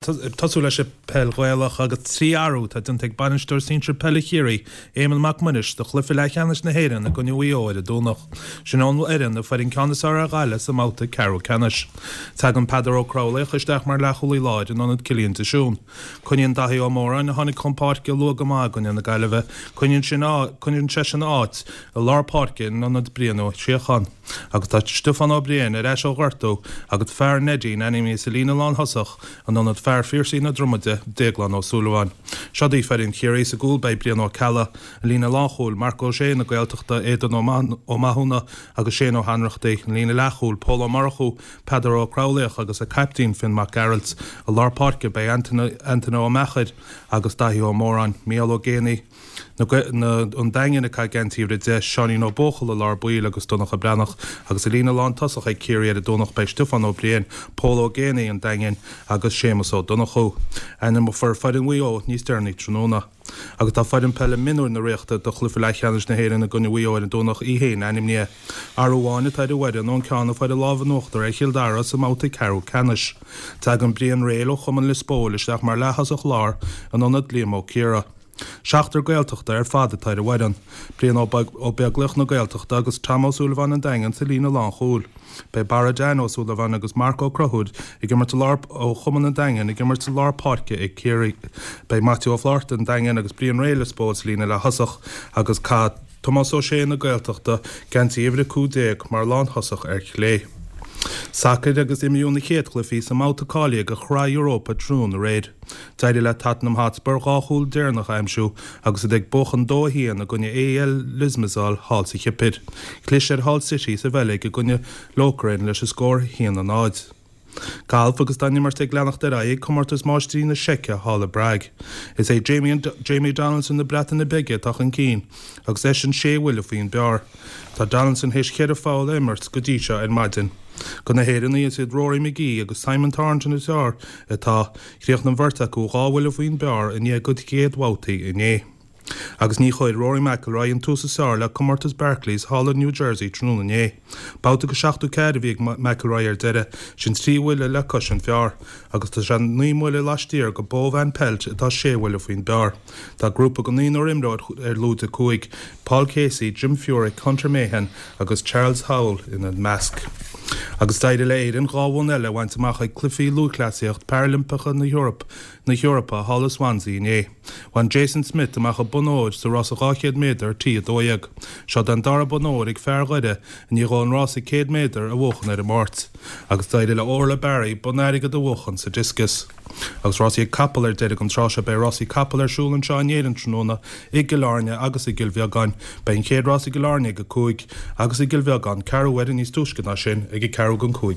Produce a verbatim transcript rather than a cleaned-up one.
Tosú leis an peil Ghaelach agus trí athrú atá déanta ag bainisteoir sinsir peile Chiarraí, Éamonn Mac Muiris, do chluiche leathcheannais na hÉireann i gcoinne Mhaigh Eo ar an Domhnach. Sin an fhoireann a fuair an ceann is fearr ar Ghaillimh sa mbabhta ceathrú ceannais. Tagann Peadar Ó Craollaoich isteach mar leathchúlaí láir in ionad Cillian de Siún. Coinníonn Daithí Ó Móráin, a tháinig chun páirce luath go maith i gcoinne na Gaillimhe, coinníonn sin coinníonn seisean a áit i lár páirce in ionad Brian Ó Síocháin. Agus tá Stiofán Ó Briain ar ais ó ghortú agus fear Neidín ainmnithe sa líne lántosach in ionad fear Phiarsaigh na Dromaide, Déaglán Ó Súilleabháin. Seo daoibh foireann Chiarraí sa gcúl beidh Brian Ó Ceallaigh, an líne lánchúil, Marc Ó Sé na Gaeltachta, Aodán Ó Mathúna agus Shane Ó hAnnrachtaigh, an líne leathchúil, Pól Ó Murchú, Peadar Ó Craollaoich agus a caiptín Finn Mac Gearailt. I lár páirce beidh Antaine Ó Meachair agus Daithí Ó Móráin, Mícheál Ó Géibheannaigh, an Daingean ag caitheamh geansaí uimhir a deich, Seáinín Ó Buachalla i lár baill agus Donncha Breathnach agus i líne lántosach ag Ciarraí ar an Domhnach beidh Stiofán Ó Briain, Pól Ó Géibheannaigh an Daingin agus Séamus Ó Donnchú. Ainmneofar foireann Mhaigh Eo níos deireanaí tráthnóna. Agus tá foireann peile mionúir na Ríochta do chluiche leathcheannais na hÉireann i gcoinne Mhaigh Eo ar an Domhnach í féin ainmnithe. Athrú amháin atá ar an bhfoireann ón ceann a fuair an lámh in uachtar ar Chill Dara sa mbabhta ceathrú ceannais. Tagann Brian Réil ó Chumann Lios Póil isteach mar leath-thosach láir in ionad Liam Ó Ciardha. Seachtar Gaeltachta ar fad atá ar an bhfoireann, Brian Ó Beaglaoich na Gaeltachta agus Tom Ó Súilleabháin an Daingin sa líne lánchúil. Beidh Barra Dan Ó Súilleabháin agus Marc Ó Conchúir ag imirt i lár ó Chumann an Daingin ag imirt i lár páirce ag Ciarraí. Beidh Maitiú Ó Flátharta an Daingin agus Brian Réil Lios Póil sa líne leath-thosach agus caithfidh Tomás Ó Sé na Gaeltachta geansaí uimhir a cúig déag mar lánthosach ar chlé. Sacair agus imríodh na chéad chluichí sa mbabhta cáilithe do Shraith Europa tráthnóna aréir. D'éirigh le Tottenham Hotspur dhá chúl deireanach a aimsiú agus iad ag buachan dó a haon i gcoinne AEL Limassol thall sa Chipir. Chlis ar Hull City sa Bheilg i gcoinne Lokeren leis an scór a haon a náid. Galf agus tá an imirt ag leanacht ar aghaidh ag Comórtas Máistrí na Seice thall i bPrág. Is é Jamie Jamie Donaldson na Breataine Bige atá chun cinn agus eisean sé bhuille faoin bpar. Tá Donaldson théis ceithre pholl a imirt go dtí seo ar maidin. Do na hÉireannaigh is iad Rory McGee agus Simon Thornton is fearr atá, chríochnaigh an bheirt acu dhá bhuille faoin bpar i ndiaidh a gcuid chéad bhabhtaí inné. Agus ní chuir Rory McIlroy an tús is fearr le comórtas Barclays thall i New Jersey tráthnóna inné. Babhta go seachtó ceathair a bhí ag McIlroy ar deireadh, sin trí bhuille le cois an phar, agus tá sé naoi mbuille laistiar de Bo Van Pelt atá sé bhuille faoin bpar. Tá grúpa de naonúr imreoir ar lúide cúig, Paul Casey, Jim Furyk, Hunter Mahan agus Charles Howell ina measc. Agus d'éirigh le Éirinn dhá bhonn eile a bhaint amach ag Cluichí Lúthchleasaíocht Parailimpeacha na hEorpa na hEorpa thall i Swansea inné. Bhain Jason Smith amach an bonn óir sa rása dhá chéad méadar T a dó dhéag. Seo an dara bonn óir ag fear Dhoire i ndiaidh dó an rása céad méadar a bhuachan ar an Máirt. Agus d'éirigh le Orla Barry bonn airgid a bhuachan sa discus. Agus rásaí capall ar deireadh an tráth seo beidh rásaí capall ar siúl anseo in Éirinn tráthnóna i gCill Airne agus i gCill Bheagáin. Beidh an chéad rás i gCill Airne ag a cúig agus i gCill Bheagáin ceathrú uaire níos túisce ná sin ag a ceathrú don cúig.